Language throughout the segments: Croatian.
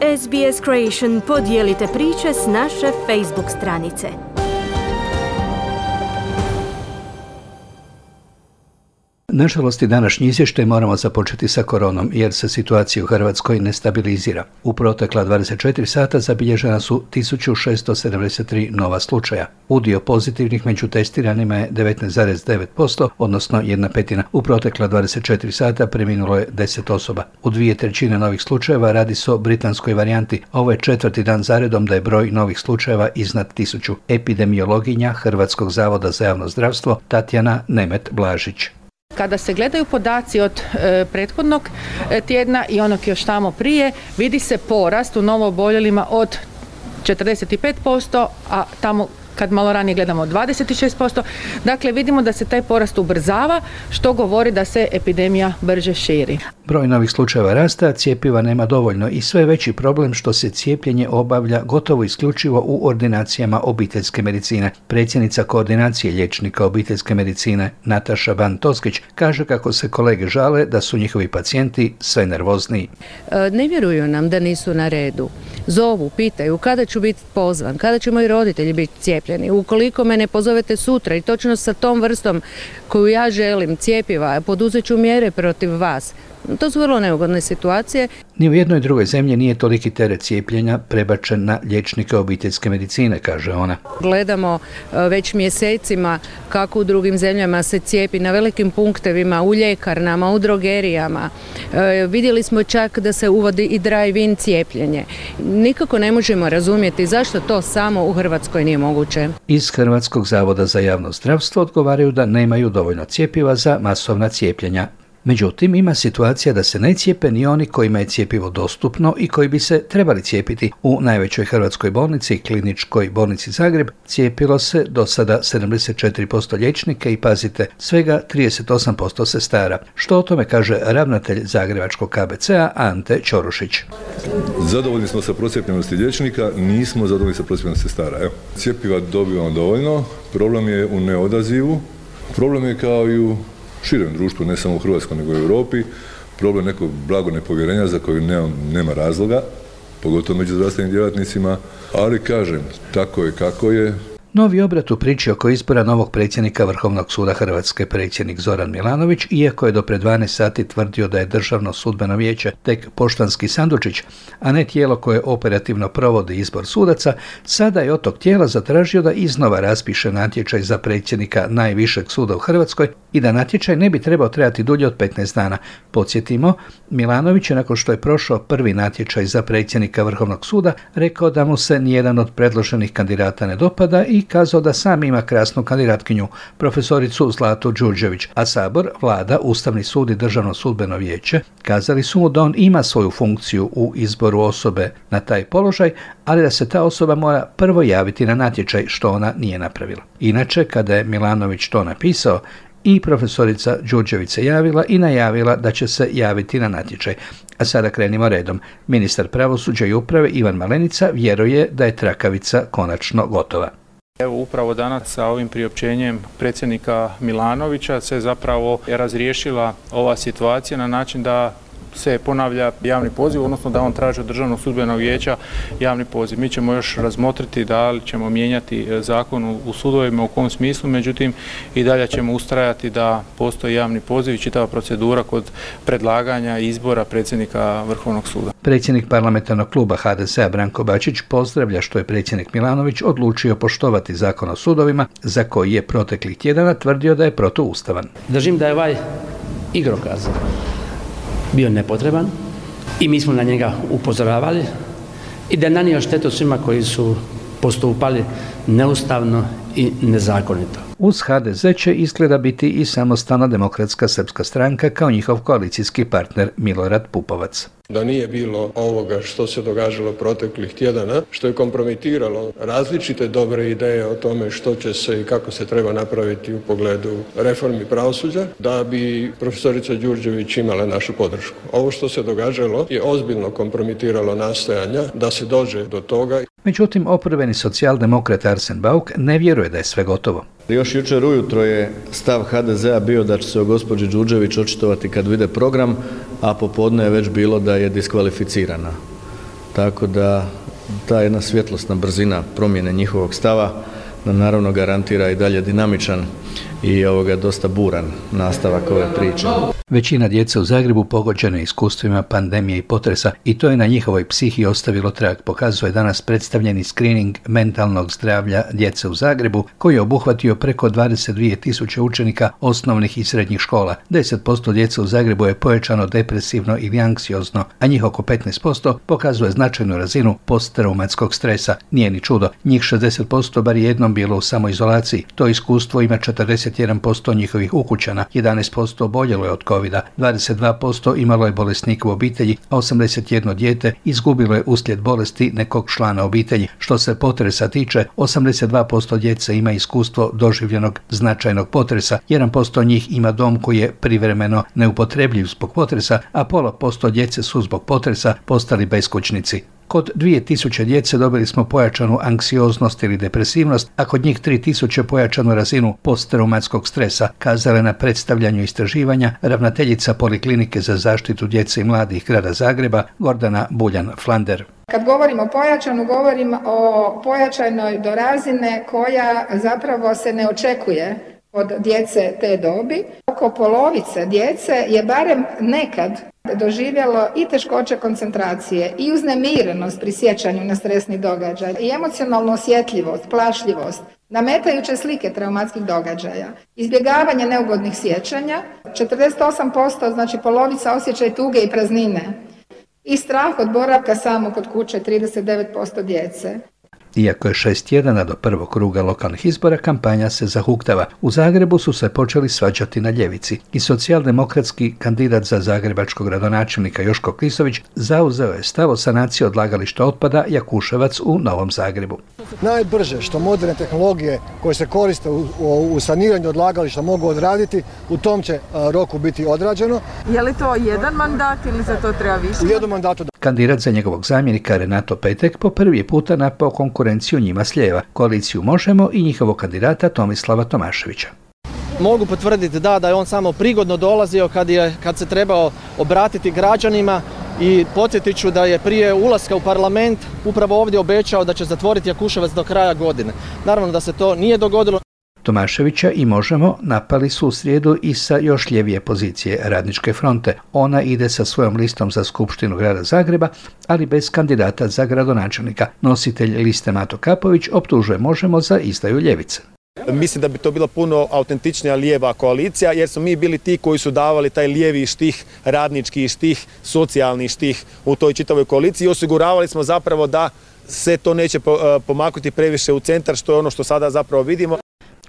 SBS Creation podijelite priče s naše Facebook stranice. Nažalost, i današnji izvještaj moramo započeti sa koronom, jer se situacija u Hrvatskoj ne stabilizira. U protekla 24 sata zabilježena su 1673 nova slučaja. Udio pozitivnih među testiranima je 19,9%, odnosno 1/5. U protekla 24 sata preminulo je 10 osoba. U 2/3 novih slučajeva radi se o britanskoj varijanti. Ovo je 4. dan zaredom da je broj novih slučajeva iznad 1000. Epidemiologinja Hrvatskog zavoda za javno zdravstvo Tatjana Nemet-Blažić. Kada se gledaju podaci od prethodnog tjedna i onog još tamo prije, vidi se porast u novooboljelima od 45%, a tamo kad malo ranije gledamo 26%. Dakle, vidimo da se taj porast ubrzava, što govori da se epidemija brže širi. Broj novih slučajeva rasta, cjepiva nema dovoljno i sve veći problem što se cijepljenje obavlja gotovo isključivo u ordinacijama obiteljske medicine. Predsjednica koordinacije liječnika obiteljske medicine Nataša Ban-Toskić kaže kako se kolege žale da su njihovi pacijenti sve nervozniji. Ne vjeruju nam da nisu na redu. Zovu, pitaju kada ću biti pozvan, kada će moji roditelji biti cijepljeni. Ukoliko me ne pozovete sutra i točno sa tom vrstom koju ja želim cjepiva, poduzet ću mjere protiv vas. To su vrlo neugodne situacije. Ni u jednoj drugoj zemlji nije toliki teret cijepljenja prebačen na liječnike obiteljske medicine, kaže ona. Gledamo već mjesecima kako u drugim zemljama se cijepi na velikim punktevima, u ljekarnama, u drogerijama. Vidjeli smo čak da se uvodi i drive-in cijepljenje. Nikako ne možemo razumjeti zašto to samo u Hrvatskoj nije moguće. Iz Hrvatskog zavoda za javno zdravstvo odgovaraju da nemaju dovoljno cjepiva za masovna cijepljenja. Međutim, ima situacija da se ne cijepe ni oni kojima je cjepivo dostupno i koji bi se trebali cijepiti. U najvećoj hrvatskoj bolnici, Kliničkoj bolnici Zagreb, cijepilo se do sada 74% liječnika i, pazite, svega 38% sestara. Što o tome kaže ravnatelj Zagrebačkog KBC-a Ante Ćorušić. Zadovoljni smo sa procijepljenosti liječnika, nismo zadovoljni sa procijepljenosti sestara. Evo, cjepiva dobivamo dovoljno, problem je u neodazivu, problem je kao i u širem društvu, ne samo u Hrvatskoj nego i u Europi, problem nekog blago nepovjerenja za koju nema razloga, pogotovo među zdravstvenim djelatnicima, ali kažem, tako je kako je. Novi obrat u priči oko izbora novog predsjednika Vrhovnog suda Hrvatske, predsjednik Zoran Milanović, iako je do pred 12 sati tvrdio da je Državno sudbeno vijeće tek poštanski sandučić, a ne tijelo koje operativno provodi izbor sudaca, sada je od tog tijela zatražio da iznova raspiše natječaj za predsjednika najvišeg suda u Hrvatskoj i da natječaj ne bi trebao trajati dulje od 15 dana. Podsjetimo, Milanović je nakon što je prošao prvi natječaj za predsjednika Vrhovnog suda rekao da mu se nijedan od predloženih kandidata ne dopada i kazao da sam ima krasnu kandidatkinju, profesoricu Zlatu Đurđević, a Sabor, Vlada, Ustavni sud i Državno sudbeno vijeće kazali su mu da on ima svoju funkciju u izboru osobe na taj položaj, ali da se ta osoba mora prvo javiti na natječaj, što ona nije napravila. Inače, kada je Milanović to napisao, i profesorica Đurđević se javila i najavila da će se javiti na natječaj. A sada krenimo redom. Ministar pravosuđa i uprave Ivan Malenica vjeruje da je trakavica konačno gotova. Evo upravo danas sa ovim priopćenjem predsjednika Milanovića se zapravo razriješila ova situacija na način da se ponavlja javni poziv, odnosno da on traži od Državnog sudbenog vijeća javni poziv. Mi ćemo još razmotriti da li ćemo mijenjati zakon u sudovima, u kom smislu, međutim i dalje ćemo ustrajati da postoji javni poziv i čitava procedura kod predlaganja izbora predsjednika Vrhovnog suda. Predsjednik parlamentarnog kluba HDZ-a Branko Bačić pozdravlja što je predsjednik Milanović odlučio poštovati zakon o sudovima, za koji je proteklih tjedana tvrdio da je protuustavan. Držim da je ovaj igrokaz bio nepotreban i mi smo na njega upozoravali i da je nanio štetu svima koji su postupali neustavno i nezakonito. Uz HDZ će izgleda biti i Samostalna demokratska srpska stranka kao njihov koalicijski partner Milorad Pupovac. Da nije bilo ovoga što se događalo proteklih tjedana, što je kompromitiralo različite dobre ideje o tome što će se i kako se treba napraviti u pogledu reformi pravosuđa, da bi profesorica Đurđević imala našu podršku. Ovo što se događalo je ozbiljno kompromitiralo nastojanja da se dođe do toga. Međutim, oporbeni socijaldemokrat Arsen Bauk ne vjeruje da je sve gotovo. Još jučer ujutro je stav HDZ-a bio da će se o gospođi Đurđević očitovati kad vide program, a popodne je već bilo da je diskvalificirana. tako da ta jedna svjetlosna brzina promjene njihovog stava nam naravno garantira i dalje dinamičan i dosta buran nastavak ove priče. Većina djece u Zagrebu pogođena iskustvima pandemije i potresa i to je na njihovoj psihi ostavilo trag, pokazuje danas predstavljeni screening mentalnog zdravlja djece u Zagrebu koji je obuhvatio preko 22.000 učenika osnovnih i srednjih škola. 10% djece u Zagrebu je pojačano depresivno ili anksiozno, a njih oko 15% pokazuje značajnu razinu posttraumatskog stresa. Nije ni čudo, njih 60% bar jednom bilo u samoizolaciji. To iskustvo ima 41% njihovih ukućana, 11% oboljelo je od covida, 22% imalo je bolesnika u obitelji, a 81 dijete izgubilo je uslijed bolesti nekog člana obitelji. Što se potresa tiče, 82% djece ima iskustvo doživljenog značajnog potresa, 1% njih ima dom koji je privremeno neupotrebljiv zbog potresa, a 0,5% djece su zbog potresa postali beskućnici. Kod 2000 djece dobili smo pojačanu anksioznost ili depresivnost, a kod njih 3000 pojačanu razinu posttraumatskog stresa, kazala je na predstavljanju istraživanja ravnateljica Poliklinike za zaštitu djece i mladih grada Zagreba Gordana Buljan-Flander. Kad govorimo o pojačanu, govorim o pojačanoj do razine koja zapravo se ne očekuje od djece te dobi. Oko polovice djece je barem nekad doživjelo i teškoće koncentracije i uznemirenost pri sjećanju na stresni događaj i emocionalnu osjetljivost, plašljivost, nametajuće slike traumatskih događaja, izbjegavanje neugodnih sjećanja, 48%, znači polovica osjećaj tuge i praznine i strah od boravka samo kod kuće 39% djece. Iako je 6 tjedana do prvog kruga lokalnih izbora, kampanja se zahuktava. U Zagrebu su se počeli svađati na ljevici i socijaldemokratski kandidat za zagrebačkog gradonačelnika Joško Klisović zauzeo je stav o sanaciji odlagališta otpada Jakuševac u Novom Zagrebu. Najbrže što moderne tehnologije koje se koriste u saniranju odlagališta mogu odraditi, u tom će roku biti odrađeno. Je li to jedan mandat ili za to treba više? U jednom mandatu. Kandidat za njegovog zamjenika Renato Petek po prvi puta napao konkurenciju njima s lijeva, koaliciju Možemo i njihovog kandidata Tomislava Tomaševića. Mogu potvrditi da je on samo prigodno dolazio kad se trebao obratiti građanima i podsjetit ću da je prije ulaska u parlament upravo ovdje obećao da će zatvoriti Jakuševac do kraja godine. Naravno da se to nije dogodilo. Tomaševića i Možemo napali su u srijedu i sa još ljevije pozicije Radničke fronte. Ona ide sa svojom listom za Skupštinu grada Zagreba, ali bez kandidata za gradonačelnika. Nositelj liste Mato Kapović optužuje Možemo za izdaju ljevice. Mislim da bi to bila puno autentičnija lijeva koalicija, jer smo mi bili ti koji su davali taj lijevi štih, radnički štih, socijalni štih u toj čitavoj koaliciji i osiguravali smo zapravo da se to neće pomaknuti previše u centar, što je ono što sada zapravo vidimo.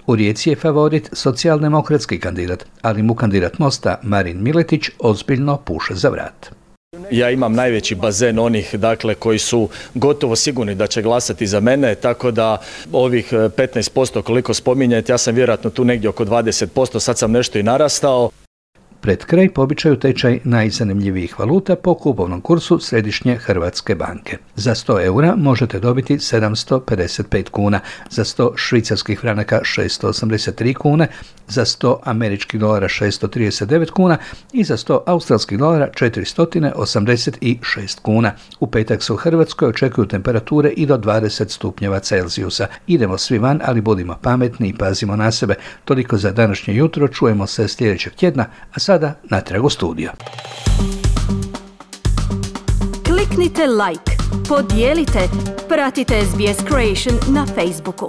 U Rijeci je favorit socijaldemokratski kandidat, ali mu kandidat Mosta Marin Miletić ozbiljno puše za vrat. Ja imam najveći bazen onih koji su gotovo sigurni da će glasati za mene, tako da ovih 15% koliko spominjete, ja sam vjerojatno tu negdje oko 20%, sad sam nešto i narastao. Pred kraj po običaju tečaj najzanimljivijih valuta po kupovnom kursu Središnje Hrvatske banke. Za 100 eura možete dobiti 755 kuna, za 100 švicarskih franaka 683 kune, za 100 američkih dolara 639 kuna i za 100 australskih dolara 486 kuna. U petak se u Hrvatskoj očekuju temperature i do 20 stupnjeva Celzijusa. Idemo svi van, ali budimo pametni i pazimo na sebe. Toliko za današnje jutro, čujemo se sljedećeg tjedna, a sada natrag u studio. Kliknite like, podijelite, pratite SBS Creation na Facebooku.